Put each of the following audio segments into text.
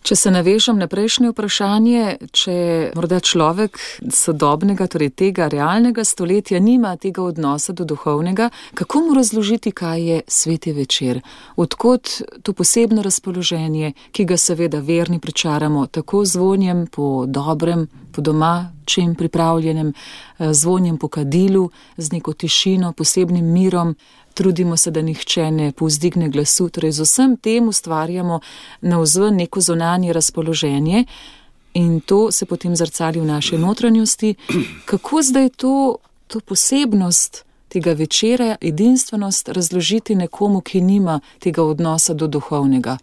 Če se navežem na prejšnje vprašanje, če morda človek sodobnega, torej tega realnega stoletja nima tega odnosa do duhovnega, kako mu razložiti, kaj je sveti večer? Odkot to posebno razpoloženje, ki ga seveda verni pričaramo tako zvonjem po dobrem, po doma, čim pripravljenem, zvonjem po kadilu, z neko tišino, posebnim mirom, trudimo se, da nihče ne povzdigne glasu, torej z vsem tem ustvarjamo navzven neko zunanje razpoloženje in to se potem zrcali v naši notranjosti. Kako zdaj to posebnost tega večera, edinstvenost razložiti nekomu, ki nima tega odnosa do duhovnega?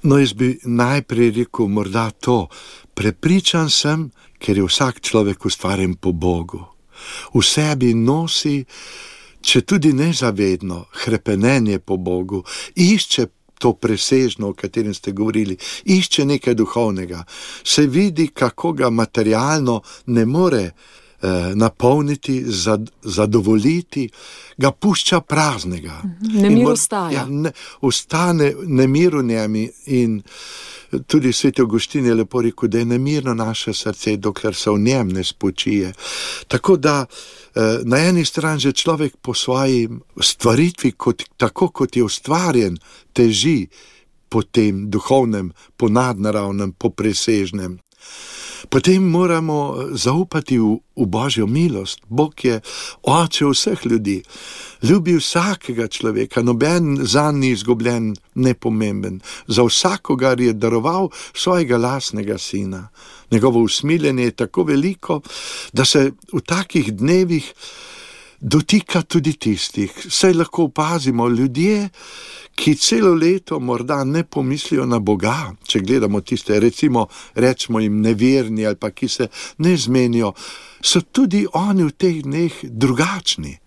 No, jaz bi najprej rekel morda to. Prepričan sem, ker je vsak človek ustvarjen po Bogu. V sebi nosi, če tudi nezavedno, hrepenenje po Bogu, išče to presežno, o katerem ste govorili, išče nekaj duhovnega, se vidi, kako ga materialno ne more napolniti, zadovoljiti, ga pušča praznega. Nemir ostaja. Ostane nemir v njem in tudi sveti Avguštin je lepo rekel, da je nemirno naše srce, dokler se v njem ne spočije. Tako da na eni strani že človek po svoji stvaritvi, tako kot je ustvarjen, teži po tem duhovnem, po nadnaravnem, po presežnem. Potem moramo zaupati v Božjo milost. Bog je oče vseh ljudi. Ljubi vsakega človeka, noben zanj ni izgubljen, nepomemben. Za vsakogar je daroval svojega lastnega sina. Njegovo usmiljenje je tako veliko, da se v takih dnevih dotika tudi tistih. Saj lahko opazimo ljudje, ki celo leto morda ne pomislijo na Boga, če gledamo tiste, rečemo jim neverni ali pa ki se ne zmenijo, so tudi oni v teh dneh drugačni.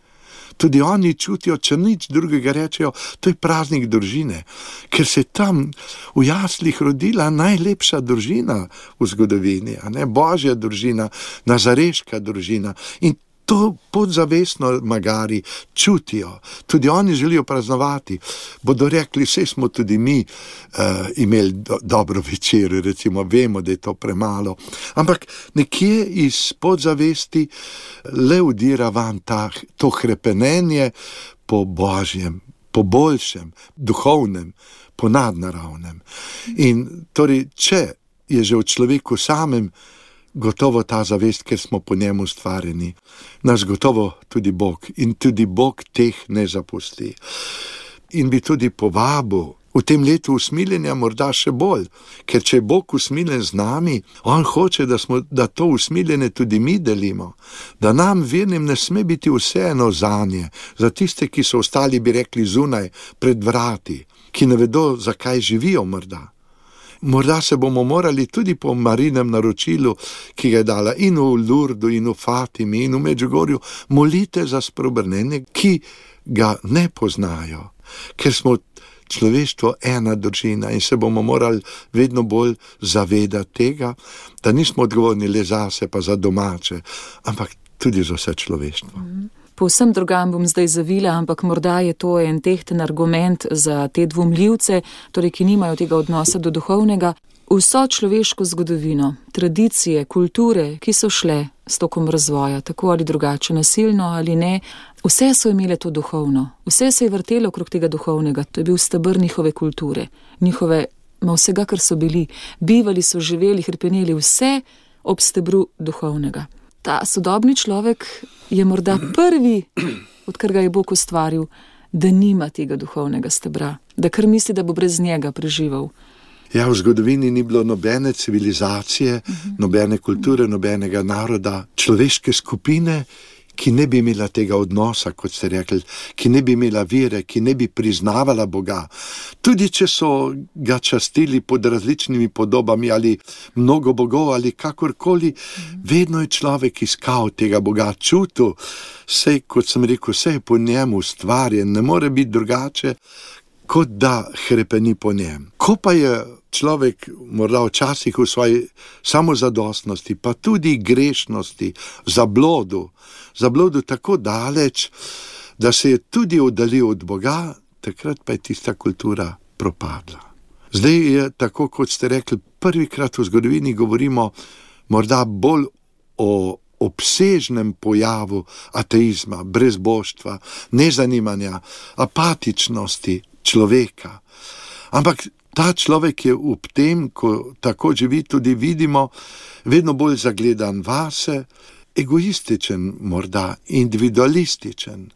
Tudi oni čutijo, če nič drugega rečejo, to je praznik družine, ker se tam v jaslih rodila najlepša družina v zgodovini, a ne Božja družina, nazareška družina. In to podzavestno magari čutijo. Tudi oni želijo praznovati. Bodo rekli, saj smo tudi mi imeli dobro večer, recimo, vemo, da je to premalo. Ampak nekje iz podzavesti le udira van to hrepenenje po Božjem, po boljšem, duhovnem, po nadnaravnem. In torej, če je že v človeku samem gotovo ta zavest, ker smo po njemu ustvarjeni, nas gotovo tudi Bog in tudi Bog teh ne zapusti. In bi tudi povabil v tem letu usmiljenja morda še bolj, ker če je Bog usmiljen z nami, on hoče, da to usmiljenje tudi mi delimo, da nam vernim ne sme biti vseeno zanje, za tiste, ki so ostali, bi rekli, zunaj, pred vrati, ki ne vedo, zakaj živijo morda. Morda se bomo morali tudi po Marinem naročilu, ki ga je dala in v Lurdu, in v Fatimi, in v Medžugorju, molite za spreobrnenje, ki ga ne poznajo, ker smo človeštvo ena družina in se bomo morali vedno bolj zavedati tega, da nismo odgovorni le zase pa za domače, ampak tudi za vse človeštvo. Povsem drugam bom zdaj zavila, ampak morda je to en tehten argument za te dvomljivce, torej ki nimajo tega odnosa do duhovnega. Vso človeško zgodovino, tradicije, kulture, ki so šle s tokom razvoja, tako ali drugače, nasilno ali ne, vse so imele to duhovno. Vse se je vrtelo okrog tega duhovnega. To je bil steber njihove kulture, vsega, kar so bili. Bivali so, živeli, hrepeneli, vse ob stebru duhovnega. Ta sodobni človek je morda prvi, odkar ga je Bog ustvaril, da nima tega duhovnega stebra, da kar misli, da bo brez njega preživel. Ja, v zgodovini ni bilo nobene civilizacije, nobene kulture, nobenega naroda, človeške skupine, ki ne bi imela tega odnosa, kot ste rekli, ki ne bi imela vere, ki ne bi priznavala Boga. Tudi če so ga častili pod različnimi podobami ali mnogo bogov ali kakorkoli, vedno je človek iskal tega Boga, čutil, saj, kot sem rekel, vse je po njemu ustvarjen, ne more biti drugače, kot da hrepeni po njem. Ko pa je človek morda včasih v svoji samozadostnosti, pa tudi grešnosti, zablodu tako daleč, da se je tudi oddaljil od Boga, takrat pa je tista kultura propadla. Zdaj je tako, kot ste rekli, prvikrat v zgodovini govorimo morda bolj o obsežnem pojavu ateizma, brezbožstva, nezanimanja, apatičnosti človeka. Ampak ta človek je v tem, ko tako živi, tudi vidimo, vedno bolj zagledan vase, egoističen morda, individualističen,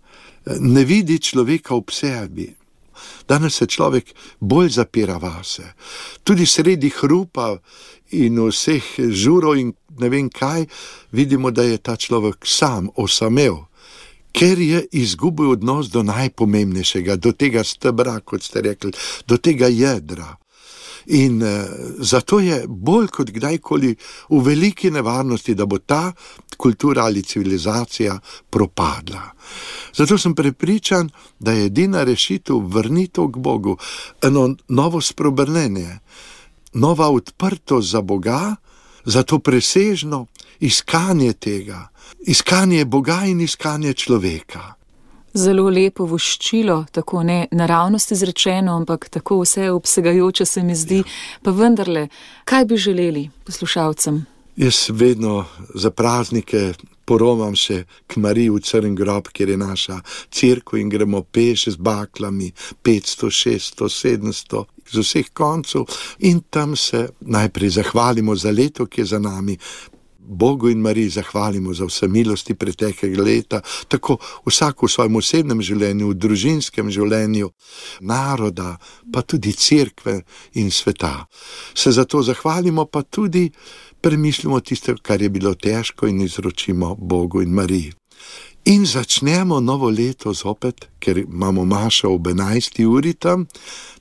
ne vidi človeka v sebi. Danes se človek bolj zapira vase. Tudi sredi hrupa in vseh žurov in ne vem kaj, vidimo, da je ta človek sam, osamel, ker je izgubil odnos do najpomembnejšega, do tega stebra, kot ste rekli, do tega jedra. In zato je bolj kot kdajkoli v veliki nevarnosti, da bo ta kultura ali civilizacija propadla. Zato sem prepričan, da je edina rešitev vrnitev k Bogu, eno novo spreobrnenje, nova odprtost za Boga, za to presežno iskanje tega, iskanje Boga in iskanje človeka. Zelo lepo voščilo, tako ne naravnost izrečeno, ampak tako vse obsegajoče se mi zdi. Pa vendarle, kaj bi želeli poslušalcem? Jaz vedno za praznike poromam še k Mariji v Crn grob, kjer je naša cerkev in gremo peš z baklami 500, 600, 700 z vseh koncev in tam se najprej zahvalimo za leto, ki je za nami. Bogu in Mariji zahvalimo za vse milosti preteklega leta, tako vsak v svojem osebnem življenju, v družinskem življenju, naroda, pa tudi cerkve in sveta. Se zato zahvalimo, pa tudi premislimo tisto, kar je bilo težko in izročimo Bogu in Mariji. In začnemo novo leto zopet, ker imamo mašo ob 11. uri tam,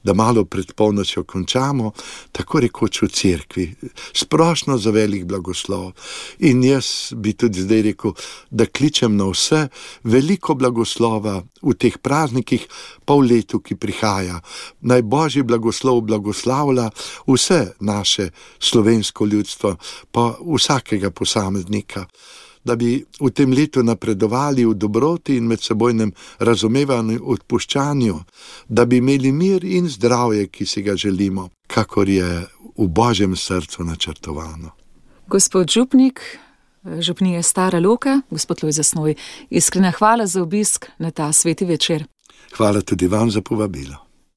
da malo pred polnočjo končamo, tako rekoč v cerkvi, splošno za velik blagoslov. In jaz bi tudi zdaj rekel, da kličem na vse veliko blagoslova v teh praznikih, pa v letu, ki prihaja. Naj Božji blagoslov blagoslavlja vse naše slovensko ljudstvo, pa vsakega posameznika, da bi v tem letu napredovali v dobroti in medsebojnem razumevanju, odpuščanju, da bi imeli mir in zdravje, ki si ga želimo, kakor je v Božjem srcu načrtovano. Gospod župnik, župnije Stara Loka, gospod Lojze Snoj, iskrena hvala za obisk na ta sveti večer. Hvala tudi vam za povabilo.